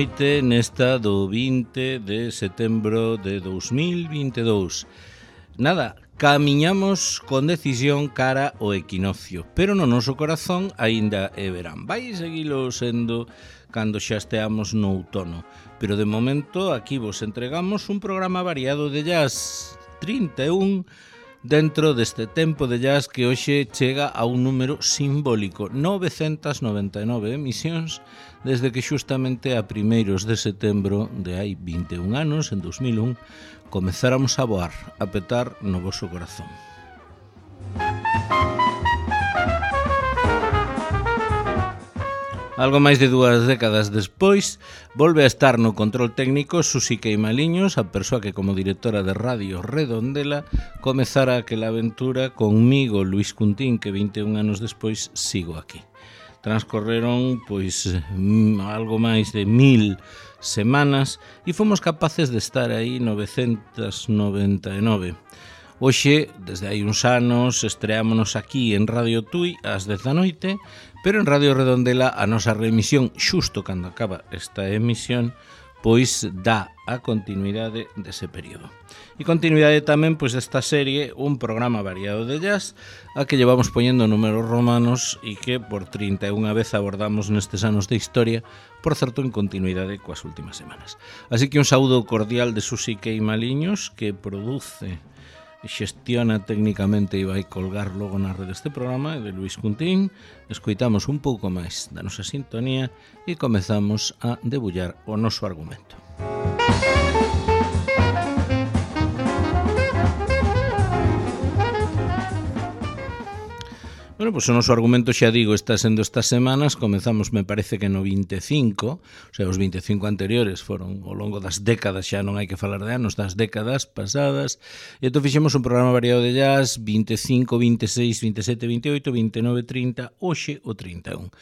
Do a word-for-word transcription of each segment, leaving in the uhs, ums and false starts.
noite nesta do vinte de setembro de dous mil vinte e dous. Nada, camiñamos con decisión cara ao equinoccio, pero no noso corazón aínda é verán. Vai seguilo sendo cando xa esteamos no outono, pero de momento aquí vos entregamos un programa variado de jazz trinta e un dentro deste tempo de jazz que hoxe chega a un número simbólico, novecentas noventa e nove emisións, desde que xustamente a primeiros de setembro de hai vinte e un anos, en dos mil un, comezáramos a voar, a petar no voso corazón. Algo máis de dúas décadas despois, volve a estar no control técnico Susi Queimaliños, a persoa que como directora de Radio Redondela comezara aquela aventura conmigo, Luis Cuntín, que vinte e un anos despois sigo aquí. Transcorreron pois algo máis de mil semanas e fomos capaces de estar aí novecentas noventa e nove. Hoxe, desde hai uns anos, estreámonos aquí en Radio Tui ás dez da noite, pero en Radio Redondela a nosa reemisión, xusto cando acaba esta emisión, pois dá a continuidade dese período. E continuidade tamén pois desta serie, un programa variado de jazz, a que llevamos poñendo números romanos e que por trinta e unha vez abordamos nestes anos de historia, por certo en continuidade coas últimas semanas. Así que un saúdo cordial de Susi Queimaliños, que produce, xestiona técnicamente e vai colgar logo na rede este programa, de Luis Cuntín. Escoitamos un pouco máis da nosa sintonía e comezamos a debullar o noso argumento. Bueno, pois o noso argumento, xa digo, está sendo estas semanas. Comezamos, me parece que no vinte e cinco, o sea, os vinte e cinco anteriores foron ao longo das décadas, xa non hai que falar de anos, das décadas pasadas, e entón fixemos un programa variado de jazz, vinte e cinco, vinte e seis, vinte e sete, vinte e oito, vinte e nove, trinta, hoxe o trinta e un.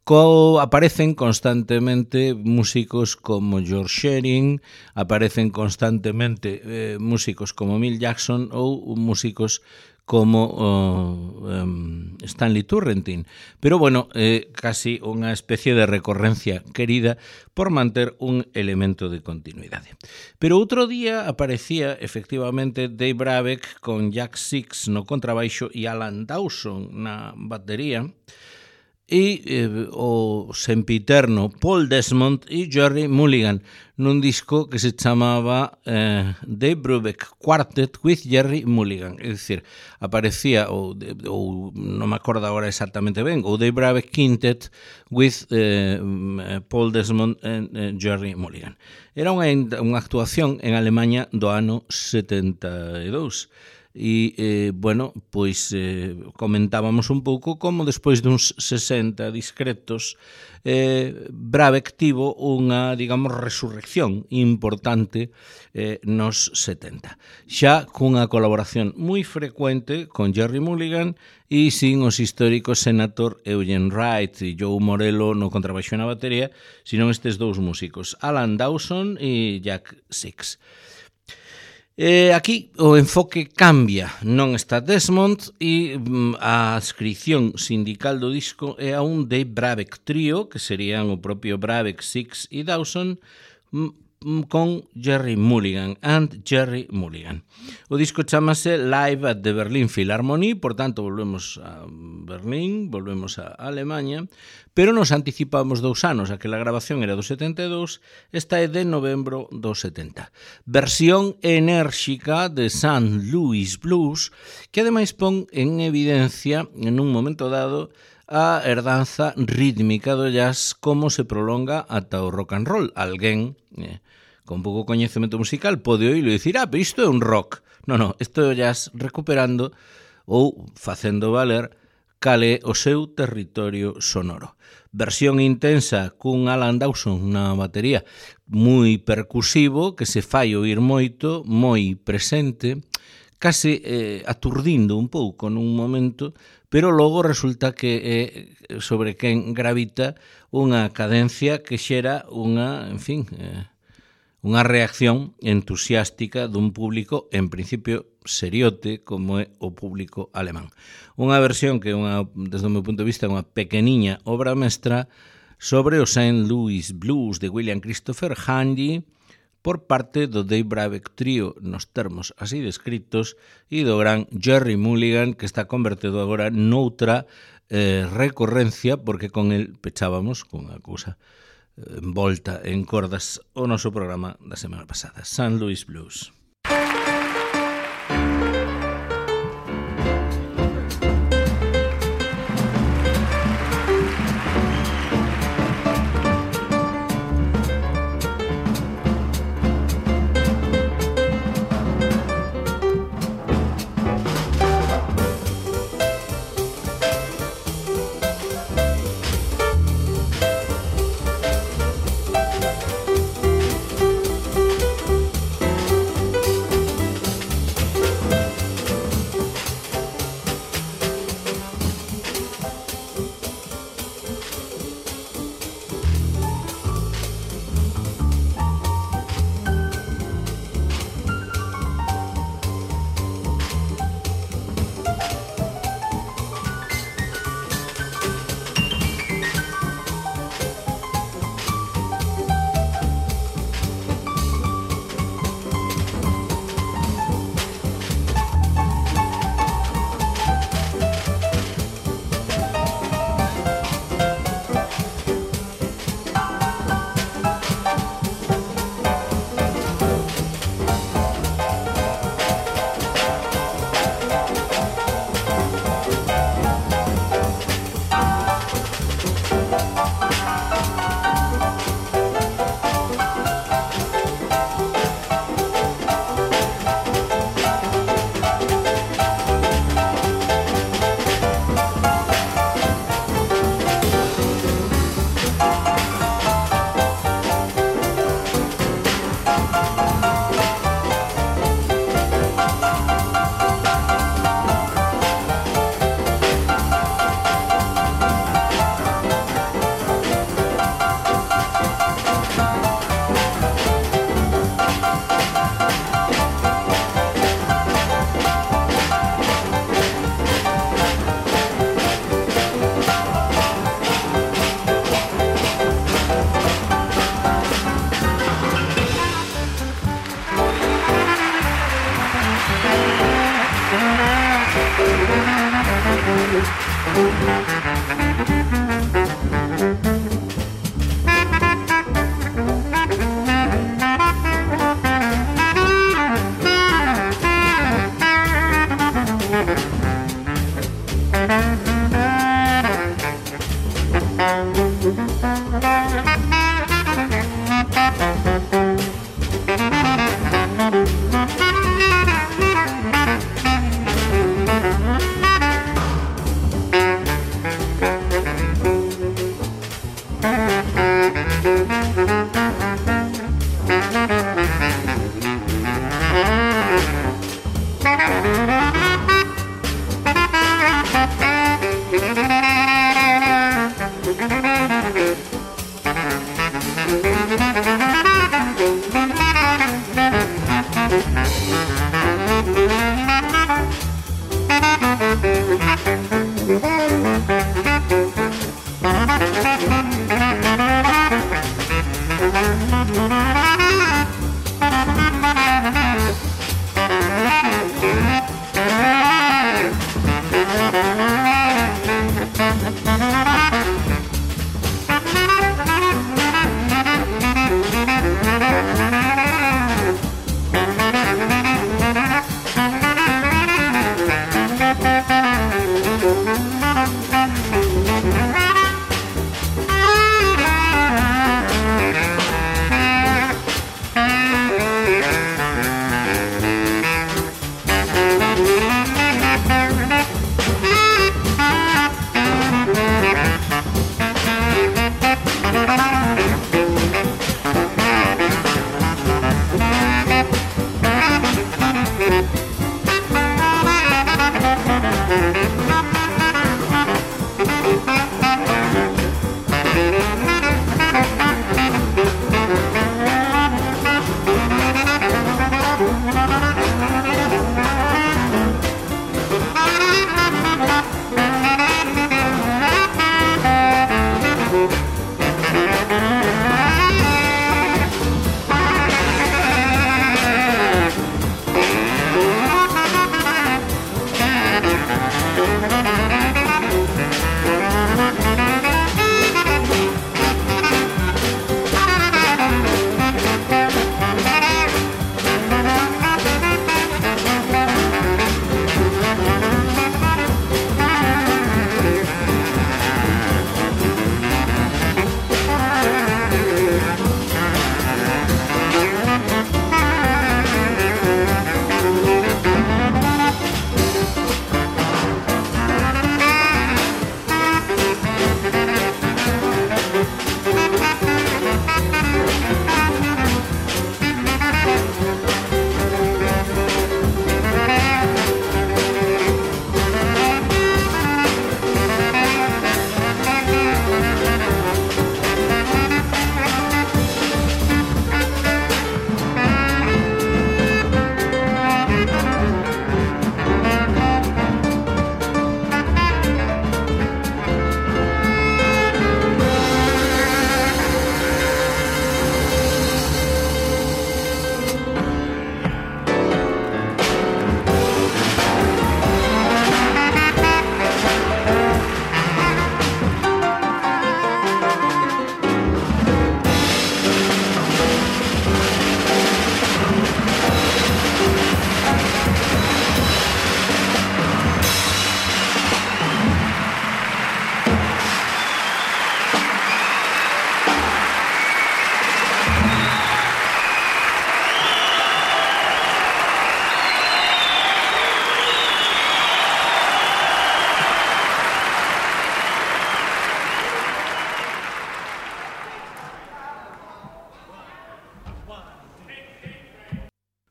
Co, aparecen constantemente músicos como George Shearing, aparecen constantemente eh, músicos como Milt Jackson ou músicos como uh, um, Stanley Turrentine. Pero bueno, eh, casi unha especie de recorrencia querida por manter un elemento de continuidade. Pero outro día aparecía efectivamente Dave Brubeck con Jack Six no contrabaixo e Alan Dawson na batería, e eh, o sempiterno Paul Desmond e Jerry Mulligan nun disco que se chamaba eh, Dave Brubeck Quartet with Jerry Mulligan. É dicir, aparecía, ou, ou non me acordo agora exactamente ben, o Dave Brubeck Quintet with eh, Paul Desmond e eh, Jerry Mulligan. Era unha, unha actuación en Alemanha do ano setenta e dous. E, eh, bueno, pois eh, comentábamos un pouco como despois duns sesenta discretos eh, Brubeck tivo unha, digamos, resurrección importante eh, nos setenta, xa cunha colaboración moi frecuente con Jerry Mulligan e sin os históricos Senator Eugene Wright e Joe Morello no contrabaixo na batería, sino estes dous músicos, Alan Dawson e Jack Six. Eh, aquí o enfoque cambia, non está Desmond e mm, a adscripción sindical do disco é a un Dave Brubeck trío, que serían o propio Brubeck, Six e Dawson, mm, con Jerry Mulligan and Jerry Mulligan. O disco chamase Live at the Berlin Philharmonie, por tanto volvemos a Berlín, volvemos a Alemanha, pero nos anticipamos dous anos, aquela grabación era do setenta e dous, esta é de novembro do setenta. Versión enérxica de Saint Louis Blues, que ademais pon en evidencia, en un momento dado, a herdanza rítmica do jazz como se prolonga ata o rock and roll. Alguén eh, con pouco coñecemento musical pode oírlo e dicir, ah, pero isto é un rock. Non, non, isto é o jazz recuperando ou facendo valer cal é o seu territorio sonoro. Versión intensa cun Alan Dawson na batería moi percusivo, que se fai oír moito, moi presente, case eh, aturdindo un pouco nun momento, pero logo resulta que é sobre quen gravita unha cadencia que xera unha, en fin, eh, unha reacción entusiástica dun público, en principio, seriote, como é o público alemán. Unha versión que, unha, desde o meu punto de vista, é unha pequeniña obra mestra, sobre o Saint Louis Blues de William Christopher Handy por parte do Dave Brubeck Trio nos termos así descritos e do gran Jerry Mulligan, que está convertido agora noutra eh, recorrencia, porque con el pechábamos con unha cousa eh, envolta en cordas o noso programa da semana pasada, Saint Louis Blues.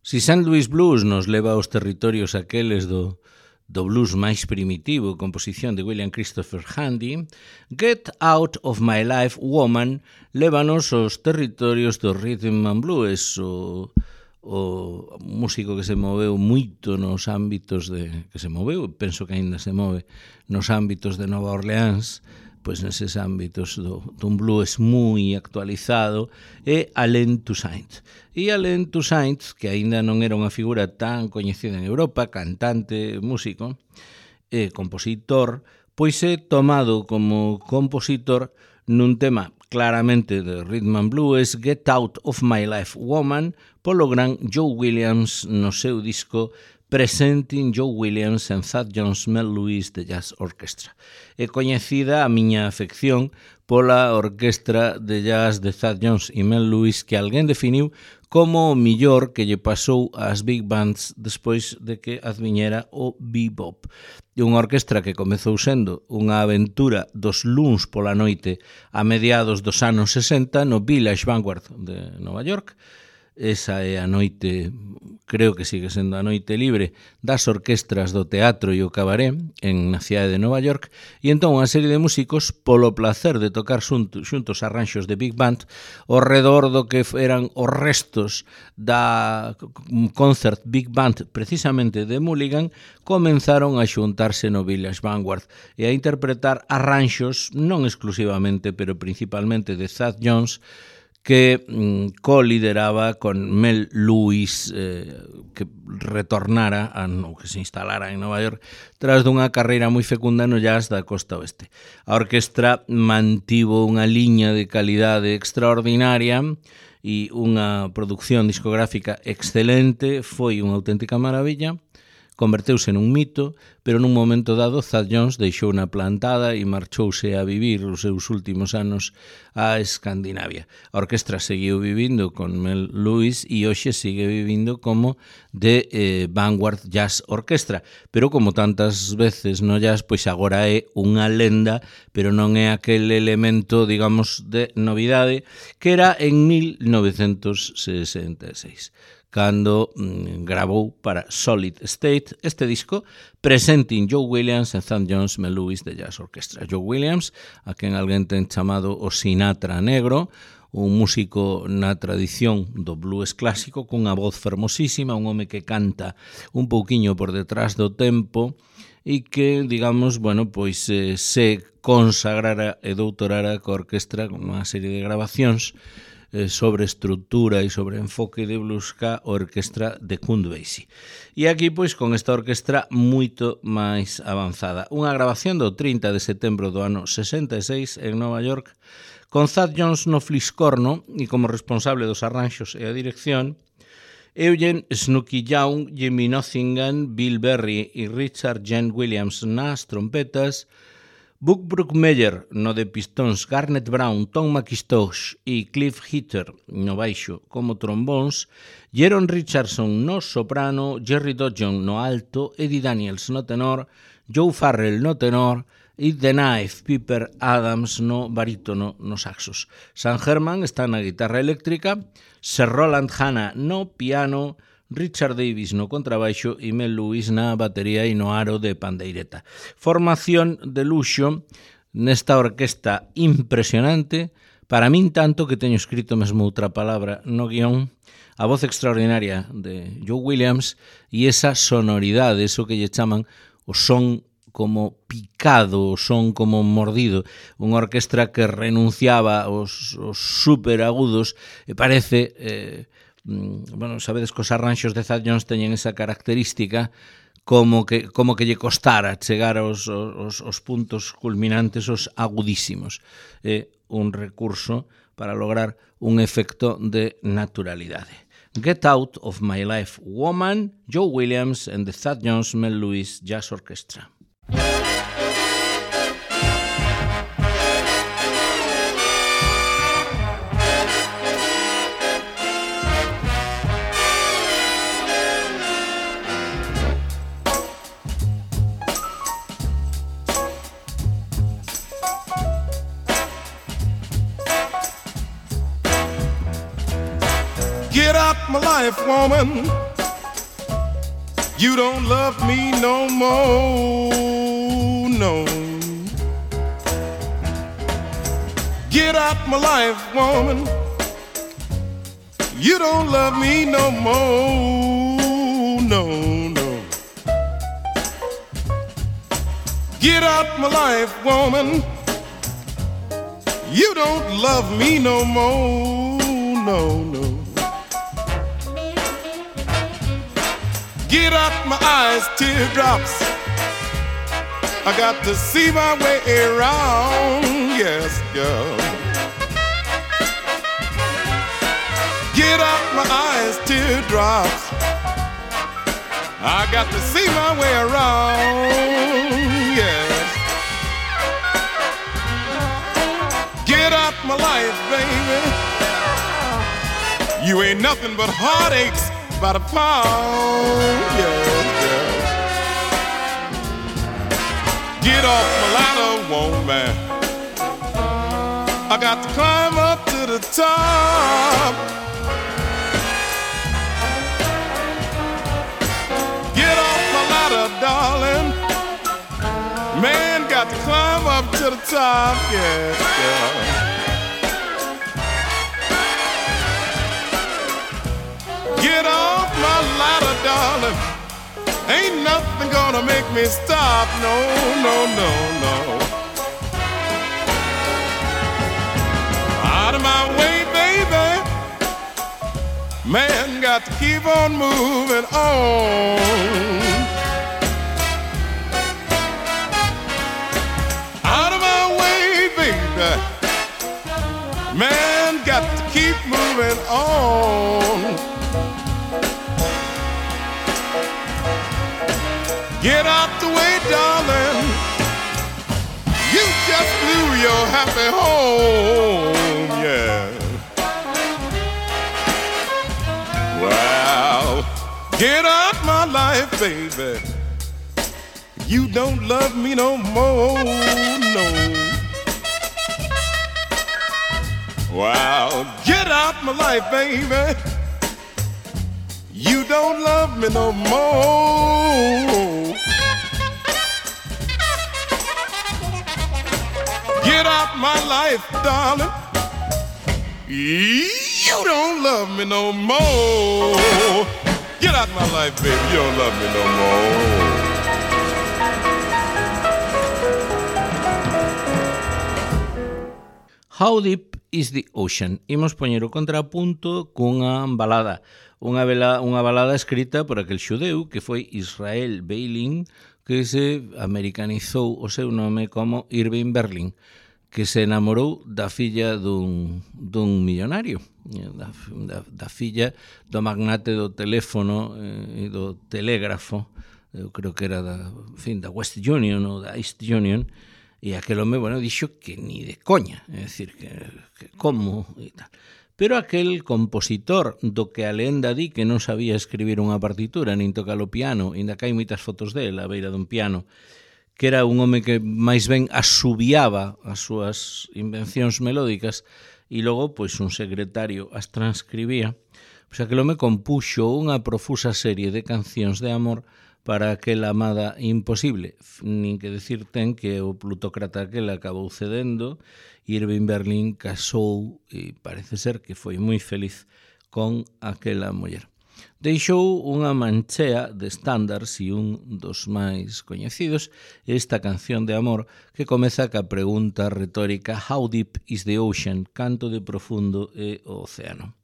Si Saint Louis Blues nos leva aos territorios aqueles do, do blues máis primitivo, composición de William Christopher Handy, Get Out of My Life Woman lévanos aos territorios do rhythm and blues, o, o músico que se moveu moito nos ámbitos de, que se moveu, penso que aínda se move, nos ámbitos de Nova Orleans, pois neses ámbitos do, dun blues moi actualizado, é Alain Toussaint. E Alain Toussaint, que aínda non era unha figura tan coñecida en Europa, cantante, músico, e compositor, pois é tomado como compositor nun tema claramente de rhythm and blues, Get Out of My Life Woman, polo gran Joe Williams no seu disco Presenting Joe Williams and Thad Jones Mel Lewis de Jazz Orchestra. É coñecida a miña afección pola orquestra de jazz de Thad Jones e Mel Lewis, que alguén definiu como o millor que lle pasou ás big bands despois de que adviñera o bebop. E unha orquestra que comezou sendo unha aventura dos luns pola noite a mediados dos anos sesenta no Village Vanguard de Nova York. Esa é a noite, creo que sigue sendo a noite libre das orquestras do teatro e o cabaré en na cidade de Nova York, e entón unha serie de músicos polo placer de tocar xuntos, xuntos arranxos de big band ao redor do que eran os restos da concert big band precisamente de Mulligan, comenzaron a xuntarse no Village Vanguard e a interpretar arranxos non exclusivamente, pero principalmente de Thad Jones, que mm, co-lideraba con Mel Lewis, eh, que retornara a, ou que se instalara en Nova York tras dunha carreira moi fecunda no jazz da costa oeste. A orquestra mantivo unha liña de calidade extraordinaria e unha produción discográfica excelente, foi unha auténtica maravilla. Converteuse nun mito, pero nun momento dado Thad Jones deixou na plantada e marchouse a vivir os seus últimos anos a Escandinavia. A orquestra seguiu vivindo con Mel Lewis e hoxe sigue vivindo como de eh, Vanguard Jazz Orchestra, pero como tantas veces no jazz, pois agora é unha lenda, pero non é aquel elemento, digamos, de novidade que era en mil novecentos sesenta e seis. Cando mm, grabou para Solid State este disco Presenting Joe Williams and Thad Jones Mel Lewis de Jazz Orchestra. Joe Williams, a quen alguén ten chamado o Sinatra negro, un músico na tradición do blues clásico cunha voz fermosísima, un home que canta un pouquiño por detrás do tempo e que, digamos, bueno, pois eh, se consagrara e doutorara coa orquestra con unha serie de grabacións sobre estructura e sobre enfoque de blues ca orquestra de Count Basie. E aquí, pois, con esta orquestra moito máis avanzada. Unha grabación do trinta de setembro do ano sesenta e seis en Nova York, con Thad Jones no fliscorno e como responsable dos arranxos e a dirección, Eugene Snooky Young, Jimmy Nottingham, Bill Berry e Richard Jen Williams nas trompetas, Buck Brookmeyer no de pistóns, Garnet Brown, Tom McIntosh e Cliff Hitter no baixo como trombóns, Jeron Richardson no soprano, Jerry Dodson no alto, Eddie Daniels no tenor, Joe Farrell no tenor e The Knife, Piper Adams no barítono no saxos. Sam Herman está na guitarra eléctrica, Sir Roland Hanna no piano, Richard Davis no contrabaixo e Mel Lewis na batería e no aro de pandeireta. Formación de luxo nesta orquesta impresionante, para min tanto que teño escrito mesmo outra palabra no guión, a voz extraordinaria de Joe Williams e esa sonoridade, eso que lle chaman o son como picado, o son como mordido, unha orquestra que renunciaba aos, aos superagudos e parece... Eh, bueno, sabedes que os arranxos de Thad Jones teñen esa característica como que, como que lle costara chegar aos, aos, aos puntos culminantes, os agudísimos. É un recurso para lograr un efecto de naturalidade. Get Out of My Life Woman, Joe Williams and the Thad Jones Mel Lewis Jazz Orchestra. Get out my life, woman. You don't love me no more, no. Get out my life, woman. You don't love me no more, no, no. Get out my life, woman. You don't love me no more, no, no. Get out my eyes, teardrops. I got to see my way around, yes, girl. Get out my eyes, teardrops. I got to see my way around, yes. Get out my life, baby. You ain't nothing but heartaches by the pound, yes, yes. Get off my ladder, woman. I got to climb up to the top. Get off my ladder, darling. Man, got to climb up to the top, yes, girl. Get off my ladder, darling. Ain't nothing gonna make me stop, no, no, no, no. Out of my way, baby. Man, got to keep on moving on. Out of my way, baby. Man, got to keep moving on. Get out the way, darling. You just blew your happy home, yeah. Well, get out my life, baby. You don't love me no more, no. Well, get out my life, baby. You don't love me no more. Get out my life, darling. You don't love me no more. Get out my life, baby. You don't love me no more. How Deep is the Ocean? Imos poñer o contrapunto cunha balada. Unha, vela, unha balada escrita por aquel xudeu que foi Israel Beiling, que se americanizou o seu nome como Irving Berlin, que se enamorou da filla dun, dun millonario, da, da, da filla do magnate do teléfono e eh, do telégrafo, eu creo que era da, en fin, da West Union ou da East Union, e aquel home, bueno, dixo que ni de coña, é dicir, que, que como e tal. Pero aquel compositor do que a lenda di que non sabía escribir unha partitura nin tocar o piano, ainda que hai moitas fotos dele a beira dun piano, que era un home que máis ben asubiaba as súas invencións melódicas e logo, pois, un secretario as transcribía, pois aquel home compuxo unha profusa serie de cancións de amor para aquela amada imposible. Nin que decir ten que o plutócrata aquel acabou cedendo, Irving Berlin casou e parece ser que foi moi feliz con aquela muller. Deixou unha manchea de estándares e un dos máis coñecidos, esta canción de amor que comeza ca pregunta retórica How deep is the ocean? Canto de profundo é o océano.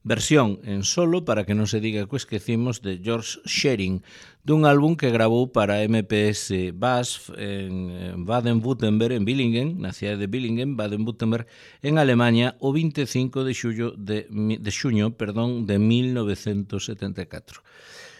Versión en solo, para que non se diga que o esquecimos, de George Shearing, dun álbum que grabou para M P S Bass en Baden-Württemberg, en Billingen, na cidade de Billingen, Baden-Württemberg, en Alemanha, o vinte e cinco de xullo de, de xuño, perdón, de mil novecentos setenta e catro.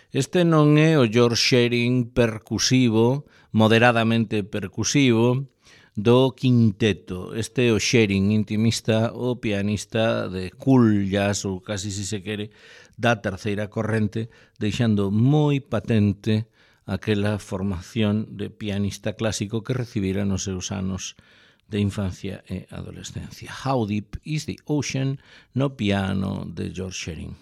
Este non é o George Shearing percusivo, moderadamente percusivo, do quinteto. Este é o Shearing, intimista, o pianista de cool jazz, ou casi si se quere, da terceira corrente, deixando moi patente aquela formación de pianista clásico que recibira nos seus anos de infancia e adolescencia. How deep is the ocean? No piano de George Shearing.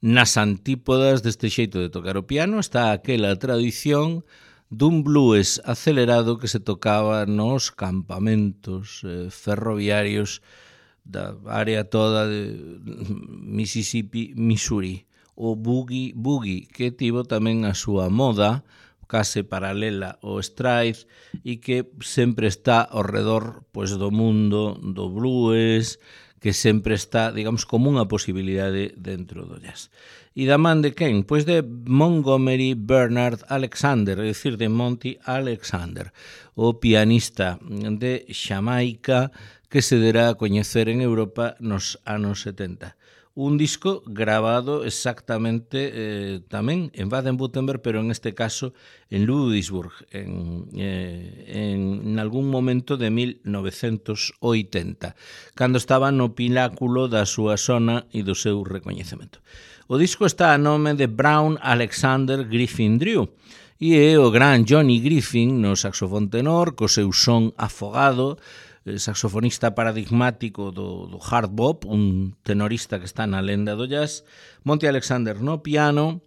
Nas antípodas deste xeito de tocar o piano está aquela tradición dun blues acelerado que se tocaba nos campamentos eh, ferroviarios da área toda de Mississippi, Missouri. O boogie boogie, que tivo tamén a súa moda case paralela ao stride e que sempre está ao redor pois, do mundo do blues, que sempre está, digamos, como unha posibilidade dentro do jazz. E da man de quen? Pois de Montgomery Bernard Alexander, é dicir, de Monty Alexander, o pianista de Xamaica que se derá a coñecer en Europa nos anos setenta. Un disco grabado exactamente eh, tamén en Baden-Württemberg, pero en este caso en Ludwigsburg, en, eh, en, en algún momento de mil novecentos oitenta, cando estaba no pináculo da súa sona e do seu recoñecemento. O disco está a nome de Brown Alexander Griffin Drew, e é o gran Johnny Griffin no saxofón tenor, co seu son afogado, saxofonista paradigmático do, do hard bop, un tenorista que está na lenda do jazz, Monty Alexander no piano,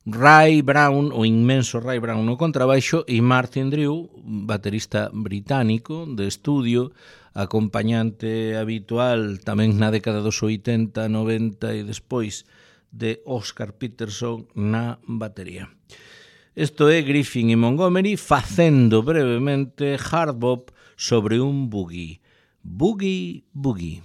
Ray Brown, o inmenso Ray Brown no contrabaixo, e Martin Drew, baterista británico de estudio, acompañante habitual tamén na década dos oitenta, noventa e despois de Oscar Peterson na batería. Isto é Griffin e Montgomery facendo brevemente hard bop sobre un boogie. Boogie, boogie.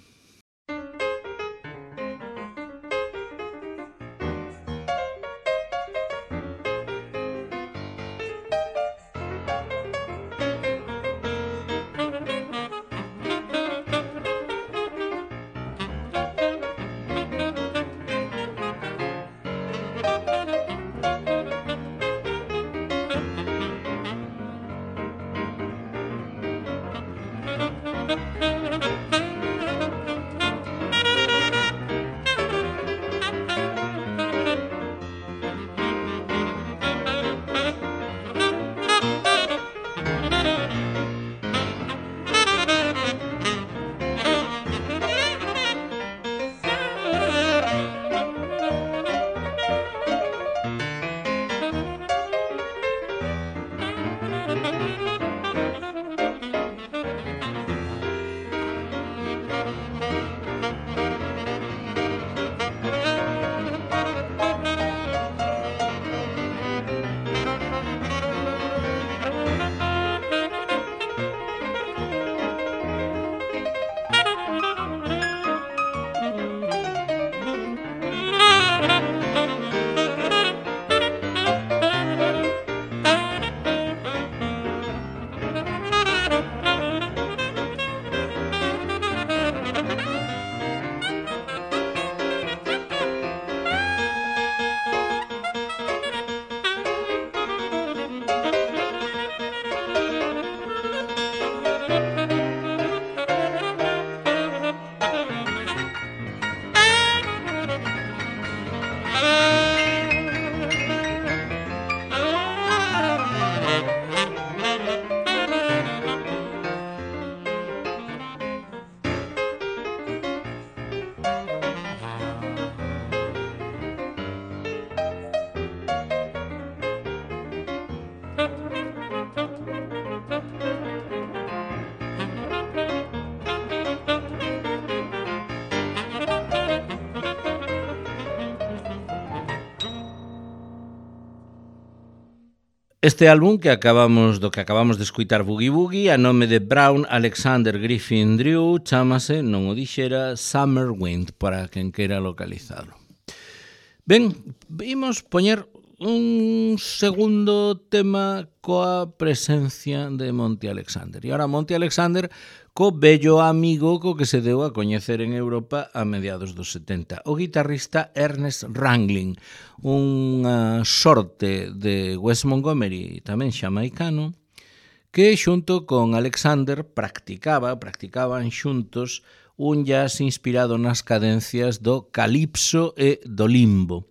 Este álbum que acabamos do que acabamos de escuitar Boogie Boogie a nome de Brown Alexander Griffin Drew chámase, non o dixera, Summer Wind, para quen queira localizarlo. Ben, vimos poñer un segundo tema coa presencia de Monty Alexander. E agora Monty Alexander co bello amigo co que se deu a coñecer en Europa a mediados dos setenta, o guitarrista Ernest Ranglin, unha sorte de Wes Montgomery, tamén xamaicano, que xunto con Alexander practicaba, practicaban xuntos un jazz inspirado nas cadencias do calipso e do limbo.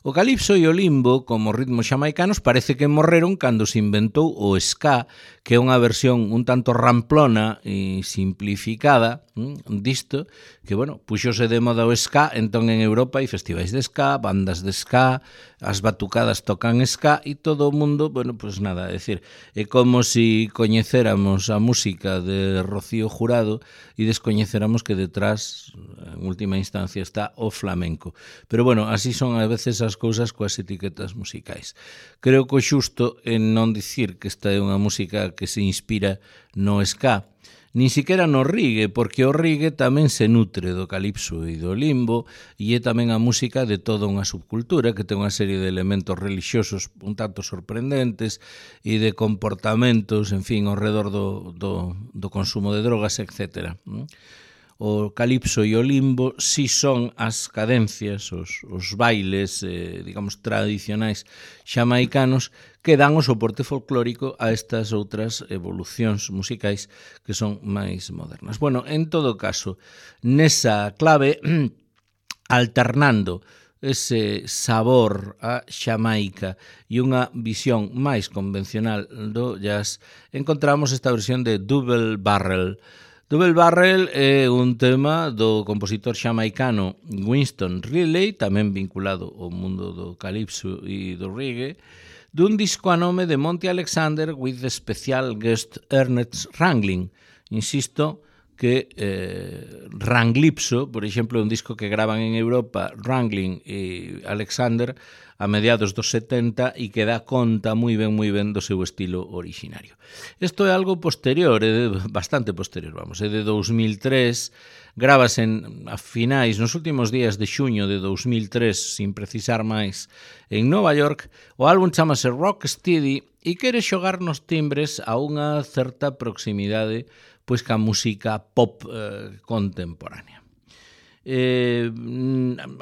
O calipso e o limbo, como ritmos xamaicanos, parece que morreron cando se inventou o ska, que é unha versión un tanto ramplona e simplificada hm, disto, que, bueno, puxose de moda o ska, entón en Europa hai festivais de ska, bandas de ska, as batucadas tocan ska e todo o mundo, bueno, pues nada, é dicir, é como se si coñecéramos a música de Rocío Jurado e descoñecéramos que detrás, en última instancia, está o flamenco. Pero, bueno, así son a veces as cousas coas etiquetas musicais. Creo que o xusto é non dicir que esta é unha música que se inspira no ska, nin siquiera no reggae, porque o reggae tamén se nutre do calipso e do limbo e é tamén a música de toda unha subcultura que ten unha serie de elementos religiosos un tanto sorprendentes e de comportamentos, en fin, ao redor do, do, do consumo de drogas, etcétera. O calipso e o limbo si son as cadencias, os, os bailes, eh, digamos, tradicionais xamaicanos que dan o soporte folclórico a estas outras evolucións musicais que son máis modernas. Bueno, en todo caso, nesa clave, alternando ese sabor a Xamaica e unha visión máis convencional do jazz, encontramos esta versión de Double Barrel. Double Barrel é un tema do compositor xamaicano Winston Riley, tamén vinculado ao mundo do calipso e do reggae, dun disco a nome de Monty Alexander with the special guest Ernest Ranglin. Insisto que eh, Ranglipso, por exemplo, é un disco que graban en Europa Ranglin e Alexander a mediados dos setenta e que dá conta moi ben, moi ben do seu estilo originario. Isto é algo posterior, é bastante posterior, vamos, é de dous mil tres, gravase en, a finais, nos últimos días de xuño de dous mil tres, sin precisar máis, en Nova York. O álbum chamase Rocksteady e quere xogar nos timbres a unha certa proximidade pois ca música pop eh, contemporánea. Eh,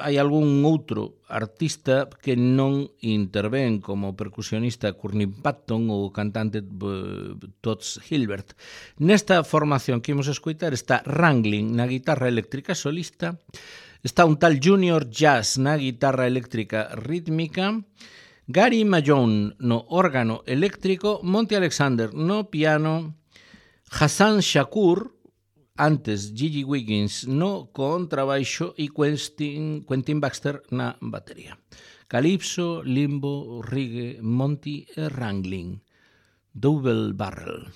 hai algún outro artista que non intervén como percusionista Courtney Patton ou cantante Toots Hilbert. Nesta formación que imos escoitar está Ranglin na guitarra eléctrica solista, está un tal Junior Jazz na guitarra eléctrica rítmica, Gary Mahon no órgano eléctrico, Monty Alexander no piano, Hassan Shakur, antes Gigi Wiggins no contrabaixo e Quentin, Quentin Baxter na batería. Calipso, limbo, reggae, Monty e Ranglin. Double Barrel.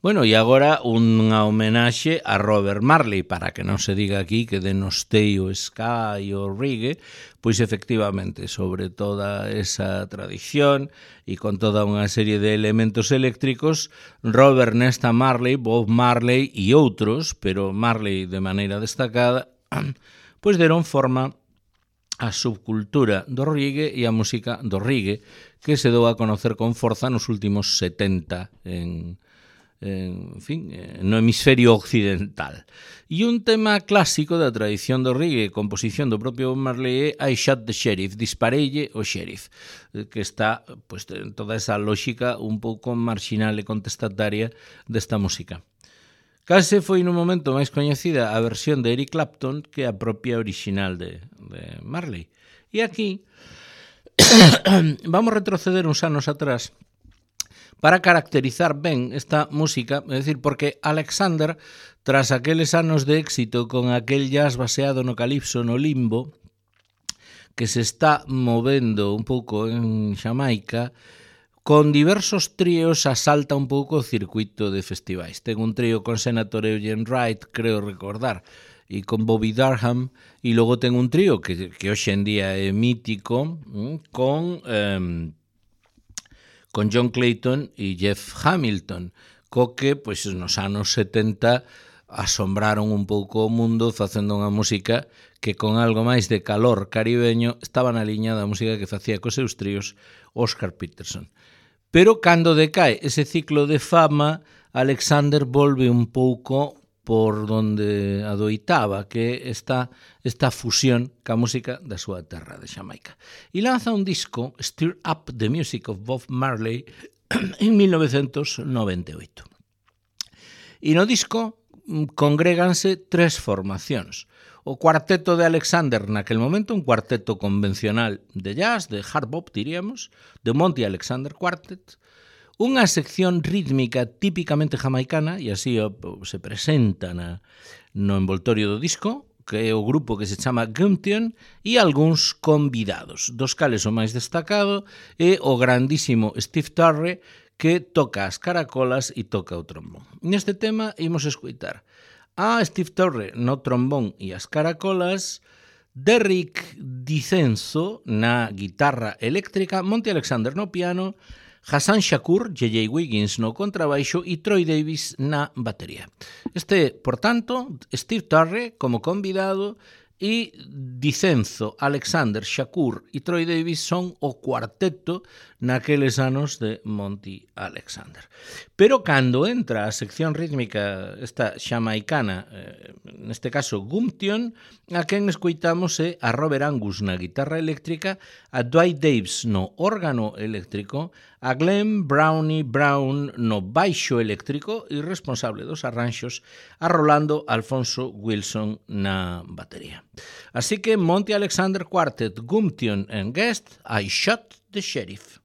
Bueno, e agora unha homenaxe a Robert Marley, para que non se diga aquí que denostei o ska e o reggae, pois efectivamente, sobre toda esa tradición e con toda unha serie de elementos eléctricos, Robert Nesta Marley, Bob Marley e outros, pero Marley de maneira destacada, pois deron forma a subcultura do reggae e a música do reggae, que se dou a conocer con forza nos últimos setenta en en fin, no hemisferio occidental. E un tema clásico da tradición do reggae, composición do propio Bob Marley, é I Shot the Sheriff, dispareille o sheriff, que está pues, en toda esa lógica un pouco marxinal e contestataria desta música. Case foi no momento máis coñecida a versión de Eric Clapton que a propia original de, de Marley. E aquí vamos retroceder uns anos atrás para caracterizar ben esta música, é dicir, porque Alexander, tras aqueles anos de éxito con aquel jazz baseado no calipso, no limbo, que se está movendo un pouco en Xamaica, con diversos tríos asalta un pouco o circuito de festivais. Ten un trío con Senator Eugene Wright, creo recordar, e con Bobby Durham, e logo ten un trío que, que hoxe en día é mítico, con... Eh, con John Clayton e Jeff Hamilton, co que, pois, nos anos setenta asombraron un pouco o mundo facendo unha música que con algo máis de calor caribeño estaba na liña da música que facía cos seus tríos Oscar Peterson. Pero cando decae ese ciclo de fama, Alexander volve un pouco por donde adoitaba, que esta, esta fusión ca música da súa terra de Xamaica. E lanza un disco, Stir Up the Music of Bob Marley, en mil novecentos noventa e oito. E no disco congréganse tres formacións. O cuarteto de Alexander naquel momento, un cuarteto convencional de jazz, de hard bop, diríamos, de Monty Alexander Quartet, unha sección rítmica típicamente jamaicana, e así se presenta na, no envoltorio do disco, que é o grupo que se chama Gumption, e algúns convidados, dos cales o máis destacado é o grandísimo Steve Turre, que toca as caracolas e toca o trombón. Neste tema imos escoitar a Steve Turre no trombón e as caracolas, Derrick Dicenzo na guitarra eléctrica, Monty Alexander no piano, Hassan Shakur, J J Wiggins no contrabaixo e Troy Davis na batería. Este, por tanto, Steve Turre como convidado e Dicenzo, Alexander, Shakur e Troy Davis son o cuarteto naqueles anos de Monty Alexander. Pero cando entra a sección rítmica esta xamaicana, eh, neste caso Gumption, a quen escoitamos é a Robert Angus na guitarra eléctrica, a Dwight Davis no órgano eléctrico, a Glenn Brownie Brown no baixo eléctrico e responsable dos arranxos, a Rolando Alfonso Wilson na batería. Así que Monty Alexander Quartet, Gumption and Guest, I Shot the Sheriff.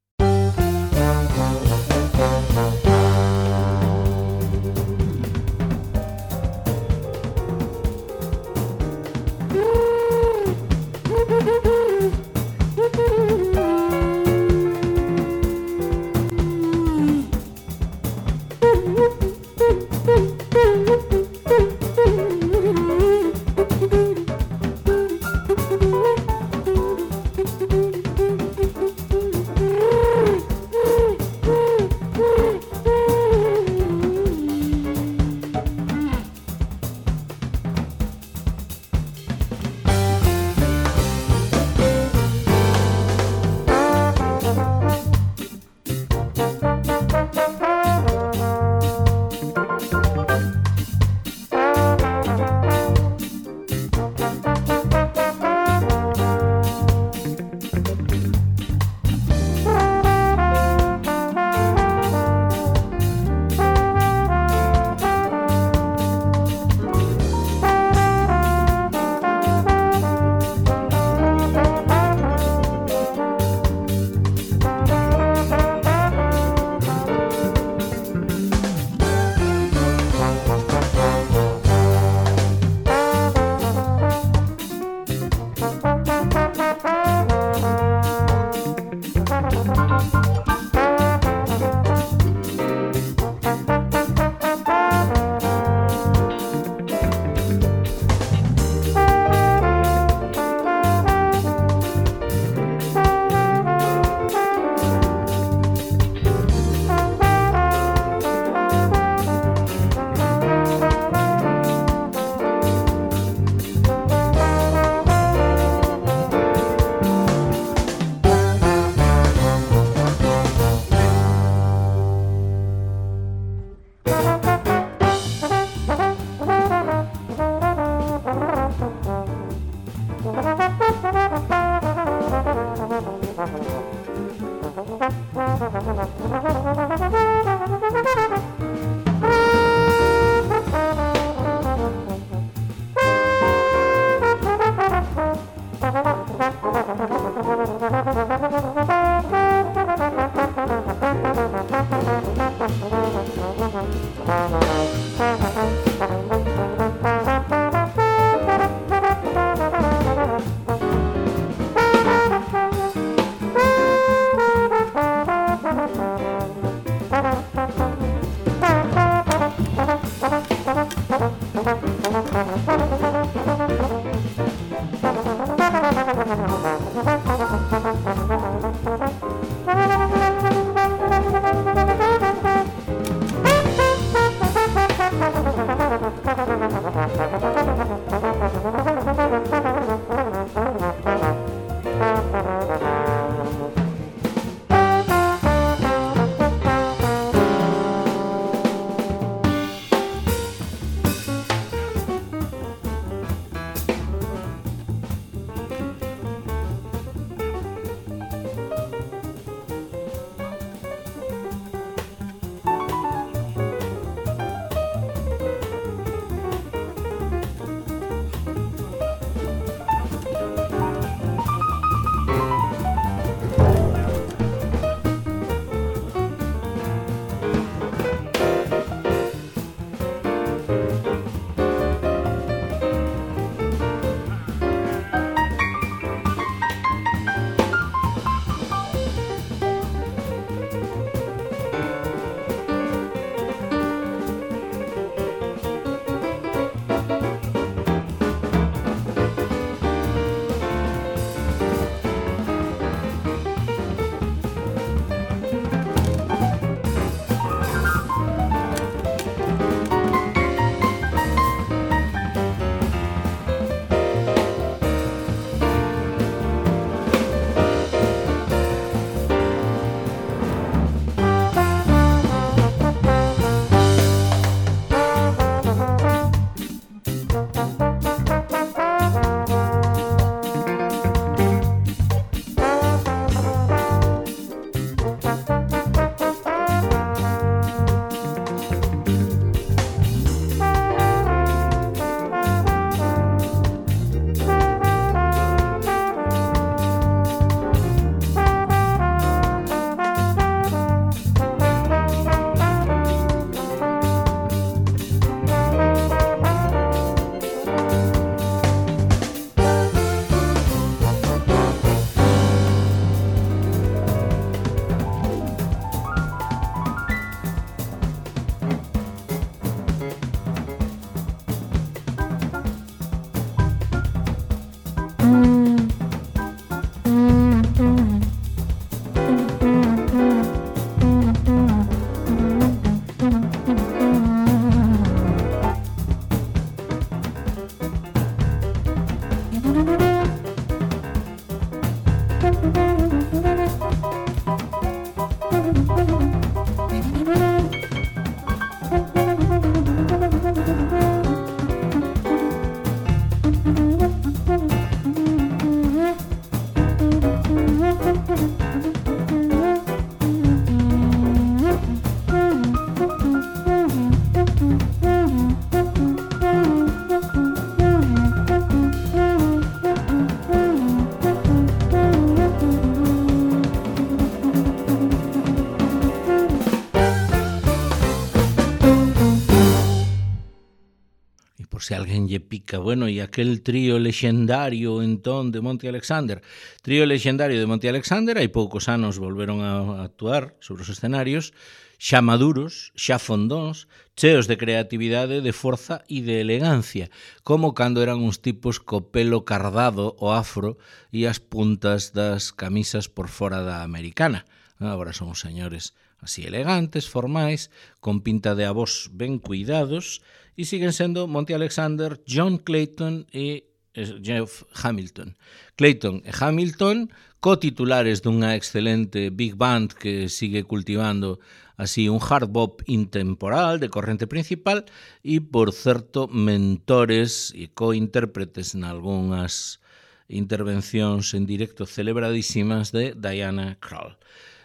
Se alguén lle pica, bueno, e aquel trío lexendario entón de Monty Alexander. Trío lexendario de Monty Alexander, hai poucos anos volveron a actuar sobre os escenarios, xa maduros, xa fondóns, cheos de creatividade, de forza e de elegancia, como cando eran uns tipos co pelo cardado o afro e as puntas das camisas por fora da americana. Agora son os señores así elegantes, formais, con pinta de avós ben cuidados, e siguen sendo Monty Alexander, John Clayton e Jeff Hamilton. Clayton e Hamilton, cotitulares dunha excelente big band que sigue cultivando así un hard bop intemporal de corrente principal e, por certo, mentores e cointérpretes nalgúnas intervencións en directo celebradísimas de Diana Krall.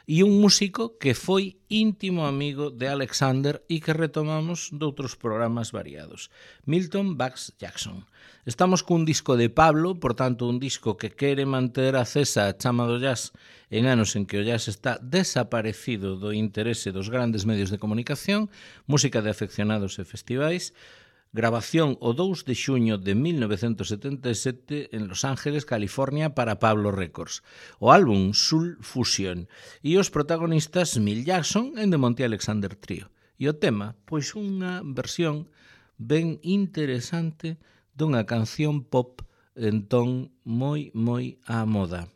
E un músico que foi íntimo amigo de Alexander e que retomamos doutros programas variados, Milton Bax Jackson. Estamos cun disco de Pablo, por tanto un disco que quere manter acesa a chama do jazz en anos en que o jazz está desaparecido do interese dos grandes medios de comunicación, música de afeccionados e festivais, grabación o dous de xuño de mil novecentos setenta e sete en Los Ángeles, California, para Pablo Records. O álbum Soul Fusion e os protagonistas Milt Jackson en The Monty Alexander Trio. E o tema, pois unha versión ben interesante dunha canción pop entón moi, moi á moda.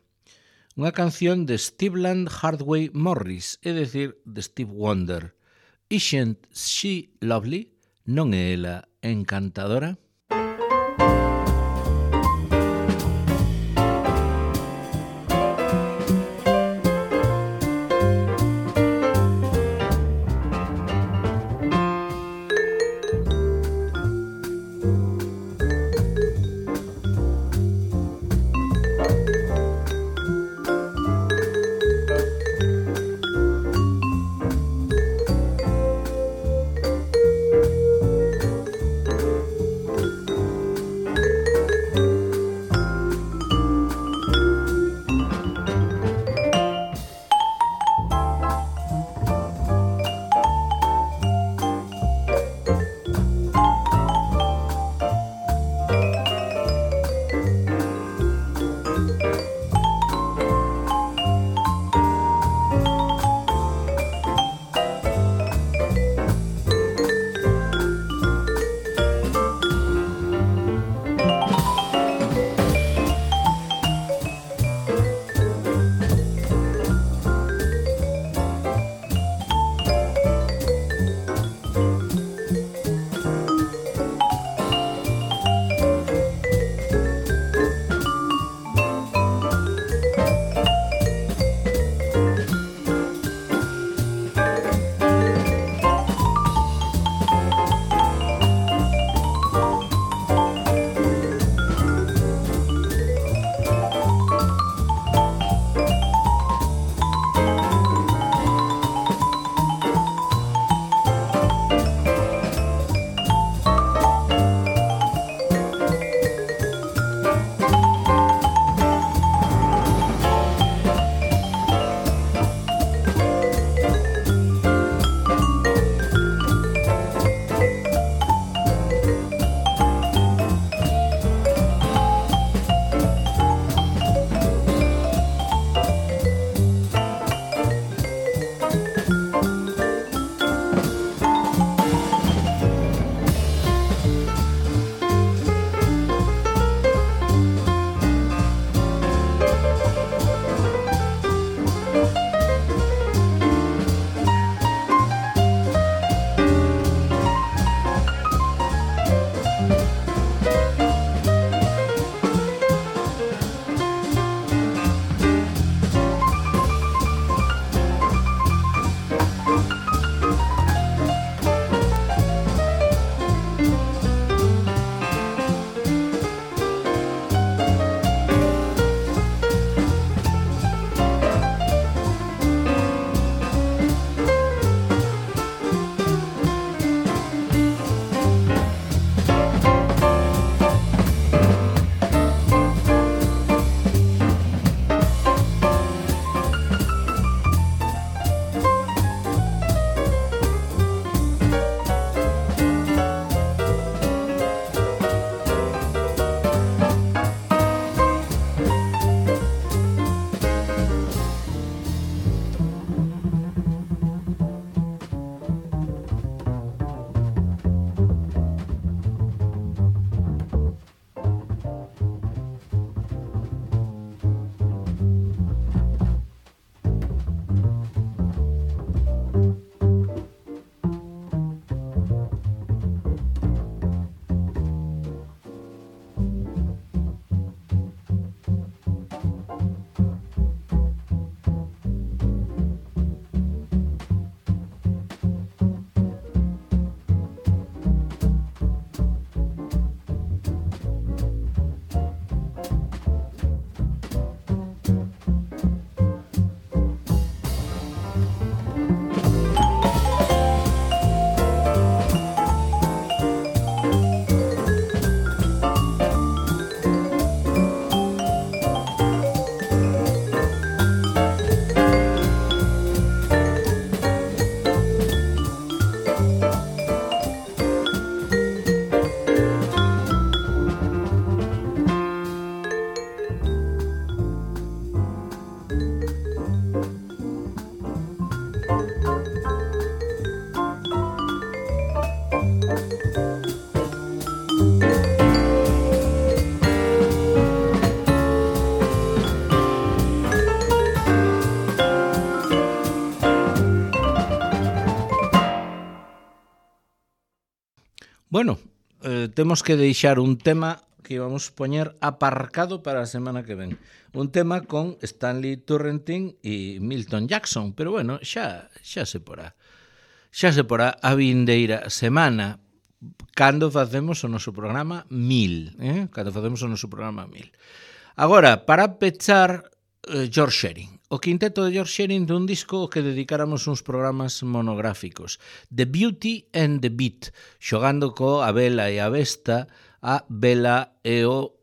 Unha canción de Steveland Hardway Morris, é dicir, de Steve Wonder. Isn't she lovely? Non é ela encantadora? eh, temos que deixar un tema que íbamos poñer aparcado para a semana que ven. Un tema con Stanley Turrentine e Milton Jackson, pero bueno, xa, xa se porá. Xa se porá a vindeira semana cando facemos o noso programa mil, eh? Cando facemos o noso programa mil. Agora, para pechar, eh, George Shearing. O quinteto de George Shearing dun disco que dedicáramos uns programas monográficos. The Beauty and the Beat, xogando co a vela e a besta, a vela e o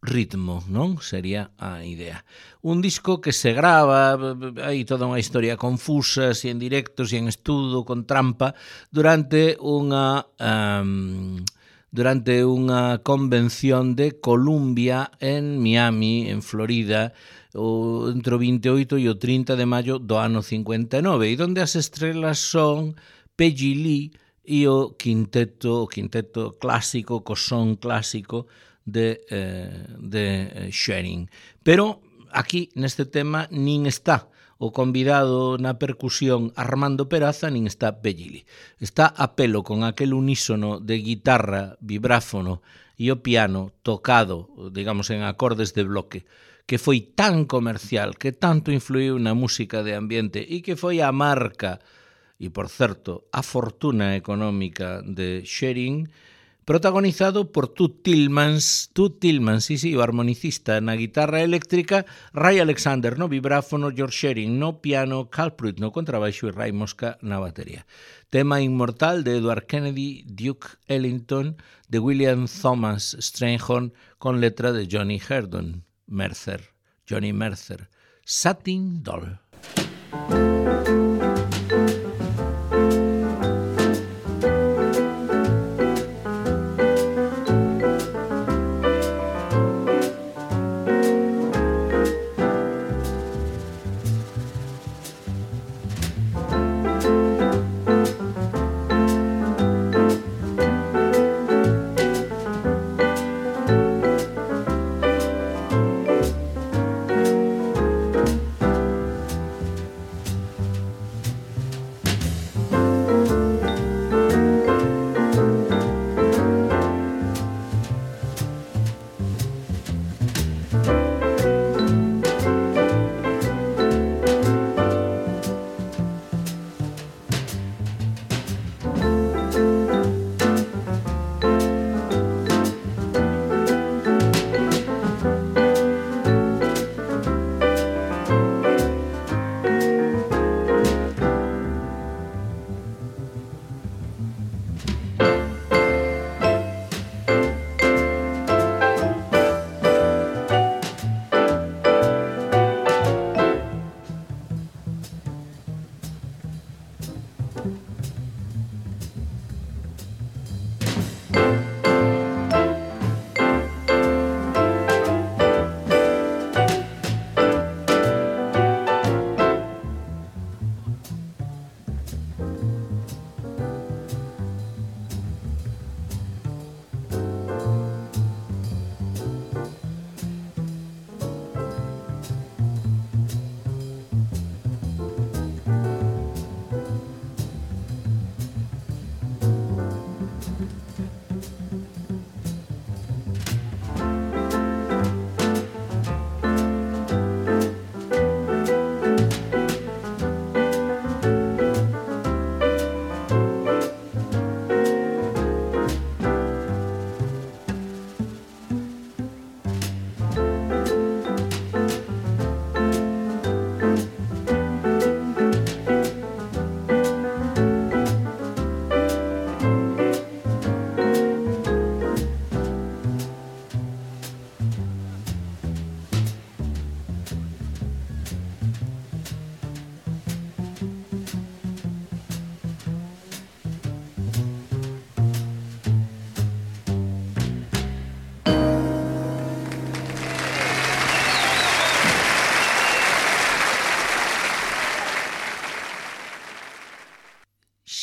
ritmo, non? Sería a idea. Un disco que se grava, hai toda unha historia confusa, si en directo, si en estudo, con trampa, durante unha... Um, durante unha convención de Columbia en Miami, en Florida, o, entre o vinte e oito e o trinta de maio do ano cincuenta e nove, e onde as estrelas son Peggy Lee e o quinteto, o quinteto clásico, co son clásico de, eh, de Shearing. Pero aquí, neste tema, nin está o convidado na percusión Armando Peraza, nin está Peggy Lee. Está a pelo con aquel unísono de guitarra, vibráfono e o piano tocado, digamos, en acordes de bloque, que foi tan comercial, que tanto influiu na música de ambiente e que foi a marca, e por certo, a fortuna económica de Shearing, protagonizado por Toots Thielemans, Toots Thielemans, sí, sí, o armonicista na guitarra eléctrica, Ray Alexander no vibráfono, George Shearing no piano, Carl Pruitt no contrabaixo e Ray Mosca na batería. Tema inmortal de Edward Kennedy, Duke Ellington, de William Thomas Strayhorn, con letra de Johnny Herdon, Mercer, Johnny Mercer, Satin Doll.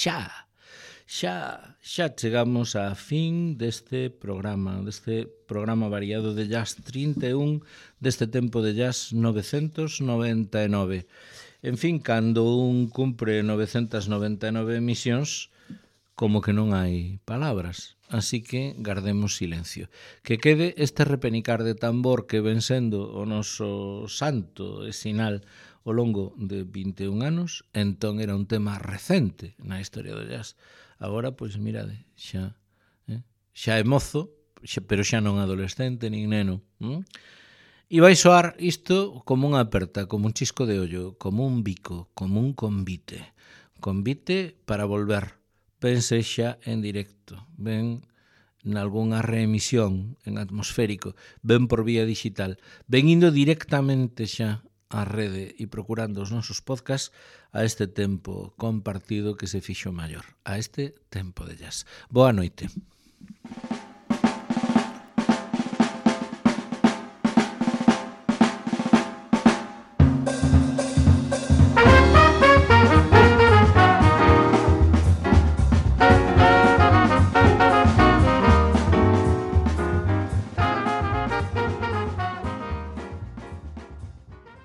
xa, xa, xa chegamos á fin deste programa, deste programa variado de Jazz trinta e un, deste tempo de Jazz novecentos noventa e nove. En fin, cando un cumpre novecentos noventa e nove emisións, como que non hai palabras. así que guardemos silencio. Que quede este repenicar de tambor que ven sendo o noso santo e sinal ao longo de vinte e un anos, entón era un tema recente na historia do jazz. Agora, pois, mirade, xa, eh? xa é mozo, xa, pero xa non adolescente nin neno. Hm? E vai soar isto como unha aperta, como un chisco de ollo, como un bico, como un convite. Convite para volver, ben sexa en directo, ben nalgúnha reemisión en atmosférico, ben por vía digital, ben indo directamente xa á rede e procurando os nosos podcasts a este tempo compartido que se fixo maior, a este tempo de jazz. Boa noite.